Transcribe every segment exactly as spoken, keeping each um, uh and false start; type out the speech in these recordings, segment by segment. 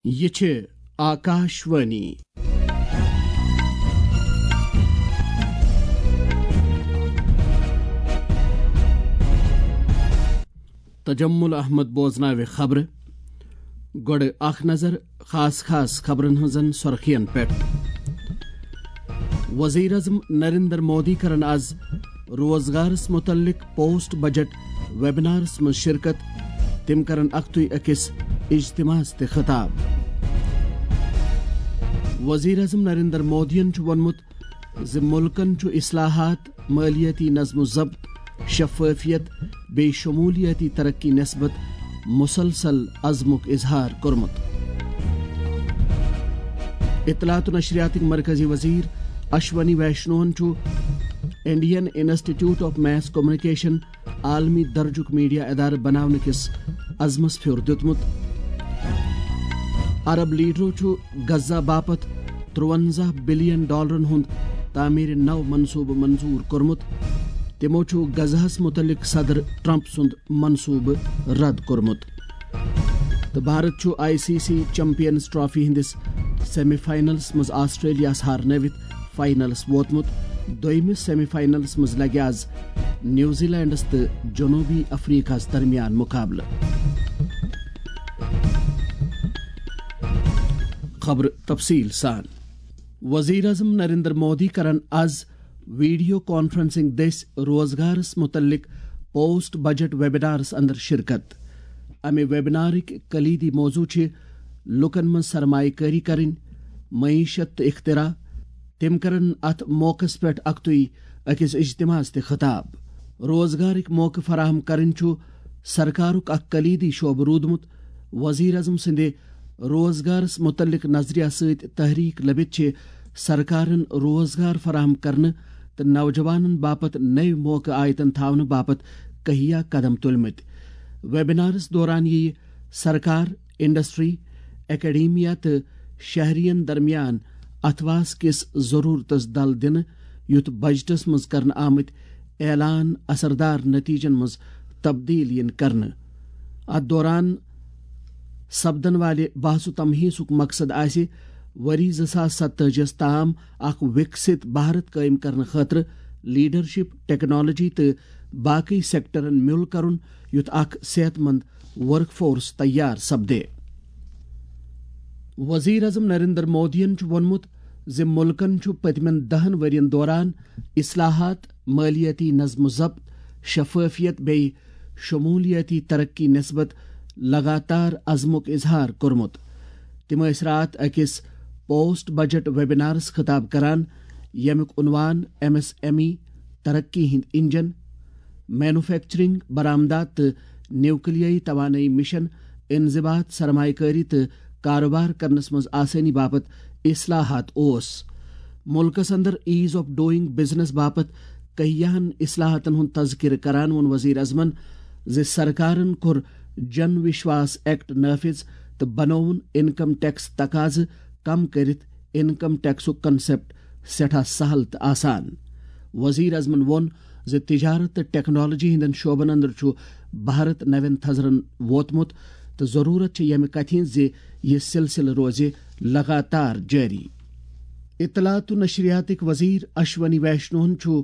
یہِ چھِ آکاشوانی۔ تجمل احمد بوزناوِ خبرٕ۔ گۄڈٕ اکھ نظر خاص خاص خبرن ہٕنٛزن سرخین پٮ۪ٹھ۔ وزیر اعظم نریندر مودی کرن از روزگارس متعلق پوسٹ بجٹ ویبنارس منٛز شرکت۔ تِم کرن اکھتُے أکِس اجتماعس تہِ خطاب۔ وزیر اعظم نریندر مودیَن چھُ ووٚنمُت زِ مُلکَن چھُ اصلاحات، مٲلیٲتی نظم و ضبط، شفافیت بیٚیہِ شمولیٲتی ترقی نسبت مسلسل عزمُک اظہار کوٚرمُت۔ اطلاعات و نشریاتٕکۍ مرکزی وزیر اشونی ویشنوہن چھُ Indian institute of mass communication عالمی درجُک میڈیا ادارٕ بناونہٕ کِس عزمس پھیُر دیُتمُت۔ عرب لیڈرو چھُ غزہ باپتھ ترٛوَنزاہ بلین ڈالرن ہُنٛد تعمیٖرِ نو منصوبہٕ منظور کوٚرمُت۔ تِمو چھُ غزہس مُتعلق صدر ٹرمپ سُنٛد منصوبہٕ رد کوٚرمُت۔ تہٕ بھارت چھُ I C C champions trophy ہٕنٛدِس سیمی فائنلس منٛز آسٹریلیاہس ہارنٲوِتھ فائنلس ووتمُت۔ دوٚیمِس سیمی فائنلس منٛز لگہِ آز نیوزی لینڈس تہٕ جنوبی افریقہس درمیان مقابلہٕ۔ خبرٕ تفصیٖل سان۔ وزیر اعظم نریندر مودی کرن از ویڈیو کانفرنسنگ دٔسۍ روزگارس متعلق پوسٹ بجٹ ویبنارس اندر شرکت۔ امہِ ویبنارٕکۍ کلیدی موضوع چھِ لوٗکن منٛز سرمایہ کٲری کرٕنۍ، معیشت تہٕ اختراع۔ تِم کرن اتھ موقعس پٮ۪ٹھ اکھتُے أکِس اجتماعس تہِ خطاب۔ روزگارٕکۍ موقعہٕ فراہم کرٕنۍ چھُ سرکارُک اکھ کلیدی شعبہٕ روٗدمُت۔ وزیر اعظم سٕنٛدِ روزگارس متعلق نظریہ سۭتۍ تحریک لبِتھ چھِ سرکارن روزگار فراہم کرنہٕ تہٕ نوجوانن باپتھ نٔوۍ موقعہٕ آیتن تھاونہٕ باپتھ کہیا قدم تُلمٕتۍ۔ ویبنارس دوران یِیہِ سرکار، انڈسٹری، اکیڈیمیا تہٕ شہرین درمیان اتھواس کِس ضرورتس دل دِنہٕ، یُتھ بجٹس منٛز کرنہٕ آمٕتۍ اعلان اثردار نتیجن منٛز تبدیل یِن کرنہٕ۔ اتھ دوران سپدن والہِ بحث و تمحیصُک مقصد آسہِ ؤری زٕ ساس ستتٲجی ہس تام اکھ وِکسِت بھارت قٲیِم کرنہٕ خٲطرٕ لیڈرشپ، ٹیکنالوجی تہٕ باقی سیکٹرن مِل کرُن، یُتھ اکھ صحت مند ورک فورس تیار سپدِ۔ وزیر اعظم نریندر مودیَن چھُ ووٚنمُت زِ مُلکَن چھُ پٔتمٮ۪ن دَہَن ؤرین دوران اصلاحات، مٲلیٲتی نظم و ضبط، شفافیت بیٚیہِ شمولیٲتی ترقی نسبت لگاتار عزمُک اظہار کوٚرمُت۔ تِم ٲسۍ راتھ أکِس پوسٹ بجٹ ویبنارس خطاب کران، ییٚمیُک عنوان ایم ایس ایم ای ترقی ہٕنٛدۍ انجن، مینوفیکچرنگ، برآمدات تہٕ نیوکلیائی توانٲئی مشن، انضباط، سرمایہ کٲری تہٕ کاروبار کرنس منٛز آسٲنی باپتھ اصلاحات اوس۔ ملکس اندر ایز آف ڈوئنگ بزنس باپتھ کہیاہن اصلاحاتن ہُنٛد تذکرٕ کران ووٚن وزیر اعظمن زِ سرکارن کوٚر جن وشواس ایکٹ نافذ تہٕ بنووُن انکم ٹیکس تقاضہٕ کم کٔرِتھ انکم ٹیکسُک کنسپٹ سٮ۪ٹھاہ سہل تہٕ آسان۔ وزیر اعظمن ووٚن زِ تجارت تہٕ ٹیکنالوجی ہٕنٛدٮ۪ن شعبن اندر چھُ بھارت نوٮ۪ن تھزرن ووتمُت تہٕ ضروٗرت چھِ ییٚمہِ کتھِ ہٕنٛز زِ یہِ سلسلہٕ روزِ لگاتار جٲری۔ اطلاعات و نشریاتٕکۍ وزیر اشونی ویشنوہن چھُ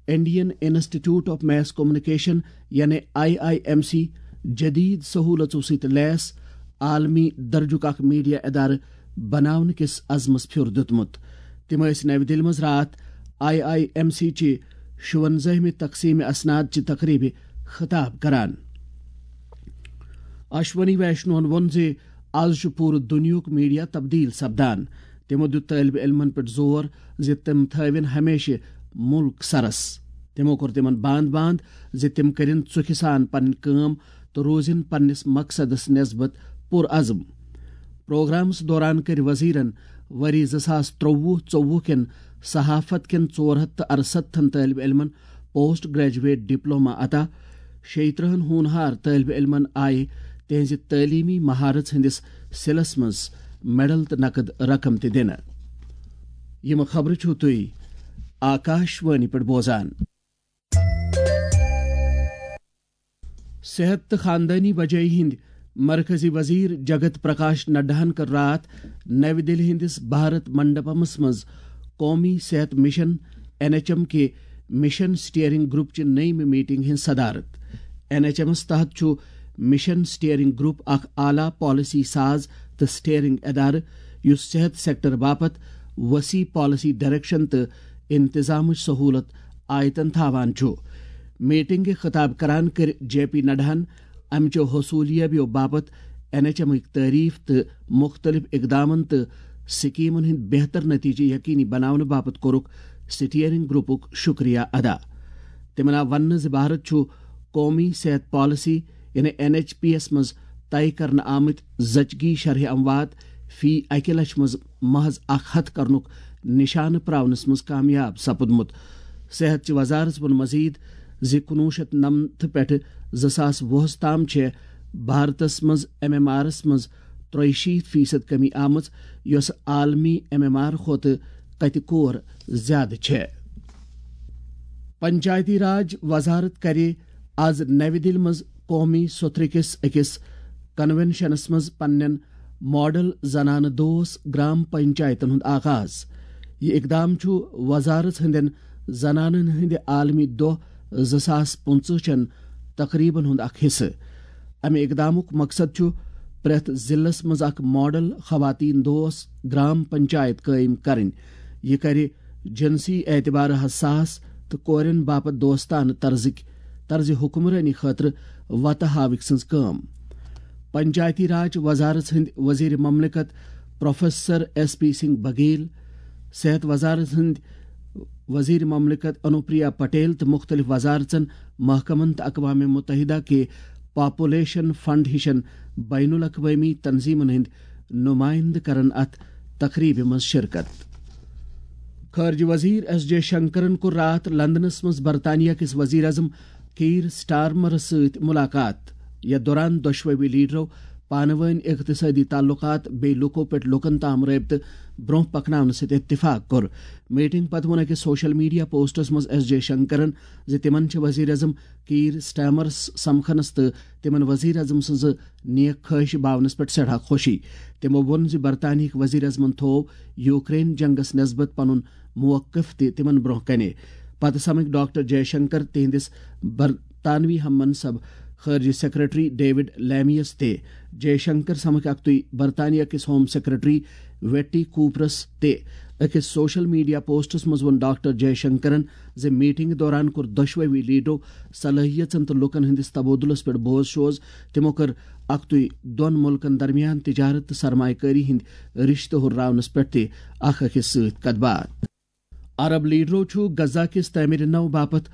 Indian institute of mass communication یعنی آئی آئی ایم سی جدید سہولژو سۭتۍ لیس عالمی درجُک اکھ میڈیا ادارٕ بناونہٕ کِس عزمس پھیُر دیُتمُت۔ تِم ٲسۍ نَوِ دِلہِ منٛز راتھ آئی آئی ایم سی چہِ شُوَنزٲہمہِ تقسیٖم اسناد چہِ تقریبہِ خطاب کران۔ اشونی ویشنوہن ووٚن زِ از چھُ پوٗرٕ دُنیاہُک میڈیا تبدیل سپدان۔ تِمو دیُت طٲلبہِ علمن پٮ۪ٹھ زور زِ تِم تھٲوِن ہمیشہِ مُلک سرس۔ تِمو کوٚر تِمن باند باند زِ تِم کٔرِن ژُکھِ سان پنٕنۍ کٲم تہٕ روزن پننِس مقصدس نسبت پُرعزم۔ پروگرامس دوران کٔرۍ وزیرن ؤری زٕ ساس ترٛۆوُہ ژۄوُہ کٮ۪ن صحافت کٮ۪ن ژور ہتھ تہٕ ارستتھن طٲلبہِ علمن پوسٹ گریجویٹ ڈپلوما عطا۔ شیٚیہِ ترٕٛہن ہونہار طٲلبہِ علمن آیہِ تِہنٛزِ تعلیمی مہارژ ہٕنٛدِس سِلس منٛز میڈل تہٕ نقد رقم تہِ دِنہٕ۔ یِم خبرٕ چھِو تُہۍ آکاشوانی پٮ۪ٹھ بوزان۔ صحت تہٕ خاندٲنی بجٲیی ہٕنٛدۍ مرکزی وزیر جگت پرکاش نڈاہن کٔر راتھ نَوِ دِلہِ ہٕنٛدِس بھارت منڈپمس منٛز قومی صحت مشن، این ایچ ایم، کہِ مشن سٹیئرنگ گروپ چہِ نٔیمہِ میٹنگ ہٕنٛز صدارت۔ این ایچ ایمس تحت چھُ مشن سٹیئرنگ گروپ اکھ اعلیٰ پالیسی ساز تہٕ سٹیئرنگ ادارٕ، یُس صحت سیکٹر باپتھ وسیع پالیسی ڈائریکشن تہٕ انتظامٕچ سہولت آیتن تھاوان چھُ۔ میٹنگہِ خطاب کران کٔر جے پی نڈاہن امچو حصولیابیو باپتھ این ایچ ایمٕکۍ تعریف تہٕ مختلف اقدامن تہٕ سکیمن ہٕنٛدۍ بہتر نتیجہٕ یقینی بناونہٕ باپتھ کوٚرُکھ سٹیئرنگ گروپُک شکریہ ادا۔ تِمن آو وننہٕ زِ بھارت چھُ قومی صحت پالیسی، یعنی این ایچ پی یَس منٛز طے کرنہٕ آمٕتۍ زچگی شرح اموات فی اکہِ لچھ منٛز محض اکھ ہتھ کرنُک نشانہٕ پراونس منٛز کامیاب سپُدمُت۔ صحت چہِ وزارت ووٚن مزید زِ کُنوُہ شیٚتھ نَمتھ پٮ۪ٹھٕ زٕ ساس وُہَس تام چھےٚ بھارتس منٛز ایم ایم آرس منٛز ترٛیہِ شیٖتھ فیصد کمی آمٕژ، یۄس عالمی ایم ایم آر کھۄتہٕ کتہِ کور زیادٕ چھےٚ۔ پنچایتی راج وزارت کرِ آز نَوِ دِلہِ منٛز قومی سوٚتھرٕ کِس أکِس کنونشنس منٛز پننٮ۪ن ماڈل زنانہٕ دوست گرام پنچایتن ہُنٛد آغاز۔ یہِ اقدام چھُ وزارت ہٕنٛدٮ۪ن زنانن ہٕنٛدِ عالمی دۄہ زٕ ساس پٕنٛژٕہ چٮ۪ن تقریبن ہُنٛد اکھ حصہٕ۔ امہِ اقدامُک مقصد چھُ پرٛٮ۪تھ ضلعس منٛز اکھ ماڈل خواتین دوست گرام پنچایت قٲیِم کرٕنۍ۔ یہِ کرِ جنسی اعتبار حساس تہٕ کورٮ۪ن باپتھ دوستانہٕ طرزٕکۍ، طرزِ حکمرٲنی خٲطرٕ وتہٕ ہاوٕکۍ سٕنٛز کٲم۔ پنچایتی راج وزارت ہٕنٛدۍ وزیر مملکت پروفیسر ایس پی سنگھ بگیل، صحت وزارت ہٕنٛدۍ وزیر مملکت انوپریا پٹیل تہٕ مختلف وزارژن، محکمن تہٕ اقوام متحدہ کہِ پاپولیشن فنڈ ہِشن بین الاقوٲمی تنظیمن ہٕنٛدۍ نمائندٕ کرن اتھ تقریبہِ منٛز شرکت۔ خارجہ وزیر ایس جے شنکرن کوٚر راتھ لندنس منٛز برطانیہ کِس وزیر اعظم کیئر سٹارمرس سۭتۍ ملاقات۔ یتھ دوران دۄشوٕے لیڈرو پانہٕ وٲنۍ اقتصٲدی تعلقات بیٚیہِ لوٗکو پٮ۪ٹھ لوٗکن تام رٲبطہٕ برٛونٛہہ پکناونہٕ سۭتۍ اتفاق کوٚر۔ میٹنگ پتہٕ ووٚن أکِس سوشل میڈیا پوسٹس منٛز ایس جے شنکرن زِ تِمن چھِ وزیر اعظم کیئر سٹارمرس سمکھنس تہٕ تِمن وزیر اعظم سٕنٛزٕ نیک خواہشہِ باونس پٮ۪ٹھ سٮ۪ٹھاہ خوشی۔ تِمو ووٚن زِ برطانیہٕکۍ وزیر اعظمن تھوو یوکرین جنگس نسبت پنُن موقف تہِ تِمن برٛونٛہہ کنہِ۔ پتہٕ سمکھۍ ڈاکٹر جے شنکر تِہنٛدِس برطانوی ہم منصب خارجہ سیکرٹری ڈیوڈ لیمیس تہِ۔ جے شنکر سمکھ اکتُے برطانیہ کِس ہوم سیکرٹری ویٹی کوپرس تہِ۔ أکِس سوشل میڈیا پوسٹس منٛز ووٚن ڈاکٹر جے شنکرن زِ میٹنگ دوران کوٚر دۄشوٕے لیڈرو صلٲحیژن تہٕ لوٗکن ہٕنٛدِس تبادلس پٮ۪ٹھ بوز شوز۔ تِمو کٔر اکتُے دۄن مُلکن درمیان تجارت تہٕ سرمایہ کٲری ہٕنٛدۍ رشتہٕ ہُرراونس پٮ۪ٹھ تہِ اکھ أکِس سۭتۍ کتھ باتھ۔ عرب لیڈرو چھُ غزہ کِس تعمیٖرِ نو باپتھ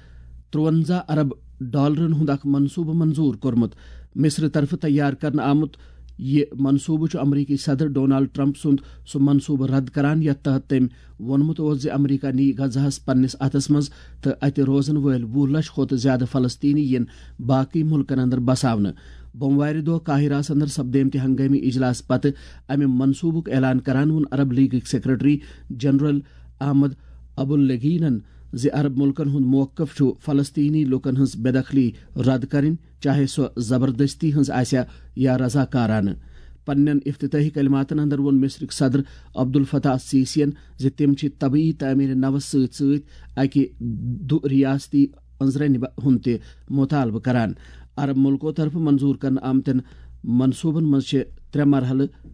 ترٛوَنزاہ ارب ڈالرن ہُنٛد اکھ منصوبہٕ منظور کوٚرمُت۔ مصر طرفہٕ تیار کرنہٕ آمُت یہِ منصوبہٕ چھُ امریکی صدر ڈونالڈ ٹرمپ سُنٛد سُہ منصوبہٕ رد کران، یتھ تحت تٔمۍ ووٚنمُت اوس زِ امریکہ نِیہِ غزہس پننِس اتھس منٛز تہٕ اتہِ روزن وٲلۍ وُہ لچھ کھۄتہٕ زیادٕ فلسطینی یِن باقٕے مُلکن اندر بساونہٕ۔ بوموارِ دۄہ قاہرہس اندر سپدیمتہِ ہنگٲمی اجلاس پتہٕ امہِ منصوبُک اعلان کران ووٚن عرب لیگٕکۍ سیکرٹری جنرل احمد ابو الگینن زِ عرب مُلکن ہُنٛد موقف چھُ فلسطینی لوٗکن ہٕنٛز بے دخلی رد کرٕنۍ، چاہے سۄ زبردستی ہٕنٛز آسہِ یا رضاکارانہٕ۔ پننٮ۪ن افتتاحی کلماتن اندر ووٚن مصرٕکۍ صدر عبدالفتاح السیسین زِ تِم چھِ طبی تعمیٖر نوس سۭتۍ سۭتۍ اکہِ دُ ریاستی أنٛزرَنہِ ہُنٛد تہِ مُطالبہٕ کران۔ عرب مُلکو طرفہٕ منظور کرنہٕ آمتٮ۪ن منصوبن منٛز چھِ ترٛےٚ مرحلہٕ،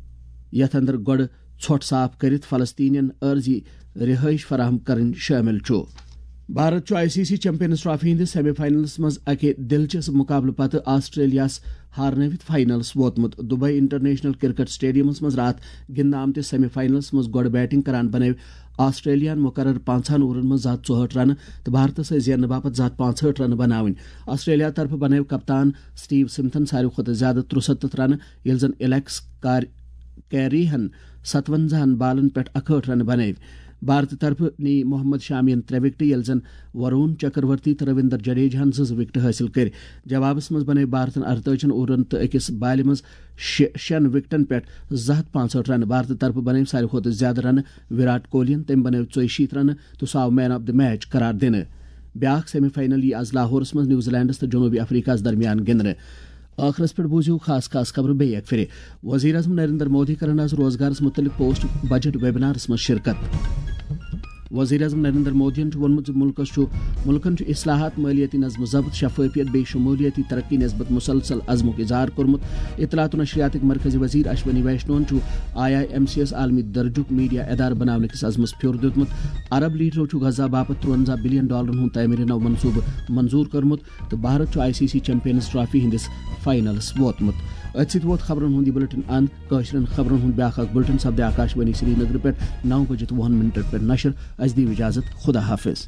یتھ اندر گۄڈٕ ژھۄٹھ صاف کٔرِتھ فلسطینین عارضی رہٲیش فراہم کرٕنۍ شٲمِل چھُ۔ بھارت چھُ I C C champions trophy ہٕنٛدِس سیمی فائنلس منٛز اکہِ دلچسپ مقابلہٕ پتہٕ آسٹریلیاہس ہارنٲوِتھ فائنلس ووتمُت۔ دبئی انٹرنیشنل کرکٹ سٹیڈیمس منٛز راتھ گِنٛدنہٕ آمتِس سیمی فائنلس منٛز گۄڈٕ بیٹنگ کران بنٲوۍ آسٹریلیاہن مقرر پانٛژہن اوورن منٛز زٕ ہتھ ژُہٲٹھ رنہٕ تہٕ بھارتس ٲسۍ زیننہٕ باپتھ زٕ ہتھ پانٛژہٲٹھ رنہٕ بناوٕنۍ۔ آسٹریلیا طرفہٕ بنٲوۍ کپتان سٹیو سمتھن ساروی کھۄتہٕ زیادٕ ترُسَتتھ رنہٕ، ییٚلہِ زن ایلیکس کار-، کیریہن ستونزاہن بالن پٮ۪ٹھ اکہٲٹھ رنہٕ بنٲوۍ۔ بھارتہٕ طرفہٕ نی محمد شامین ترٛےٚ وکٹہٕ، ییٚلہِ زن ورون چکرورتی تہٕ رویندر جڈیجاہن زٕ زٕ وکٹہٕ حٲصِل کٔرۍ۔ جوابس منٛز بنٲوۍ بھارتن ارتٲجِہن اوورن تہٕ أکِس بالہِ منٛز شےٚ، شٮ۪ن وکٹن پٮ۪ٹھ زٕ ہتھ پانٛژہٲٹھ رنہٕ۔ بھارتہٕ طرفہٕ بنٲوۍ ساروی کھۄتہٕ زیادٕ رنہٕ وراٹ کوہلین، تٔمۍ بنٲوۍ ژۄیہِ شیٖتھ رنہٕ تہٕ سُہ آو مین آف دی میچ قرار دِنہٕ۔ بیاکھ سیمی فائنل یی از لاہورس منٛز نیوزی لینڈس تہٕ جنوبی افریقہس درمیان گِنٛدنہٕ۔ ٲخرس پٮ۪ٹھ بوٗزِو خاص خاص خبرٕ بیٚیہِ اکہِ پھِرِ۔ وزیر اعظم نریندر مودی کرن از روزگارس متعلق پوسٹ بجٹ ویبنارس منٛز شرکت۔ وزیر اعظم نریندر مودیَن چھُ ووٚنمُت زِ مُلکَس چھُ، مُلکَن چھُ اصلاحات، مٲلیٲتی نظم و ضبط، شفٲفیت بیٚیہِ شمولیٲتی ترقی نسبت مسلسل عزمُک اظہار کوٚرمُت۔ اطلاعات و نشریاتٕکۍ مرکزی وزیر اشونی ویشنوَن چھُ آئی آئی ایم سی یَس عالمی درجُک میڈیا ادارٕ بناونہٕ کِس عزمَس پھیُر دیُتمُت۔ عرب لیڈرو چھُ غزہ باپتھ ترٛوَنزاہ بلین ڈالرَن ہُنٛد تعمیٖر نو منصوٗبہٕ منظوٗر کوٚرمُت تہٕ بھارت چھُ I C C champions trophy ہٕنٛدِس فائنلَس ووتمُت۔ أتھۍ سۭتۍ ووت خبرَن ہُنٛد یہِ بلیٹن اند۔ کٲشرٮ۪ن خبرن ہُنٛد بیٛاکھ اکھ بلیٹن سپدِ آکاشوانی سرینگرٕ پٮ۪ٹھ نو بجہِ تہٕ وُہن منٹن پٮ۪ٹھ نشر۔ اَسہِ دِیِو اجازت، خدا حافظ۔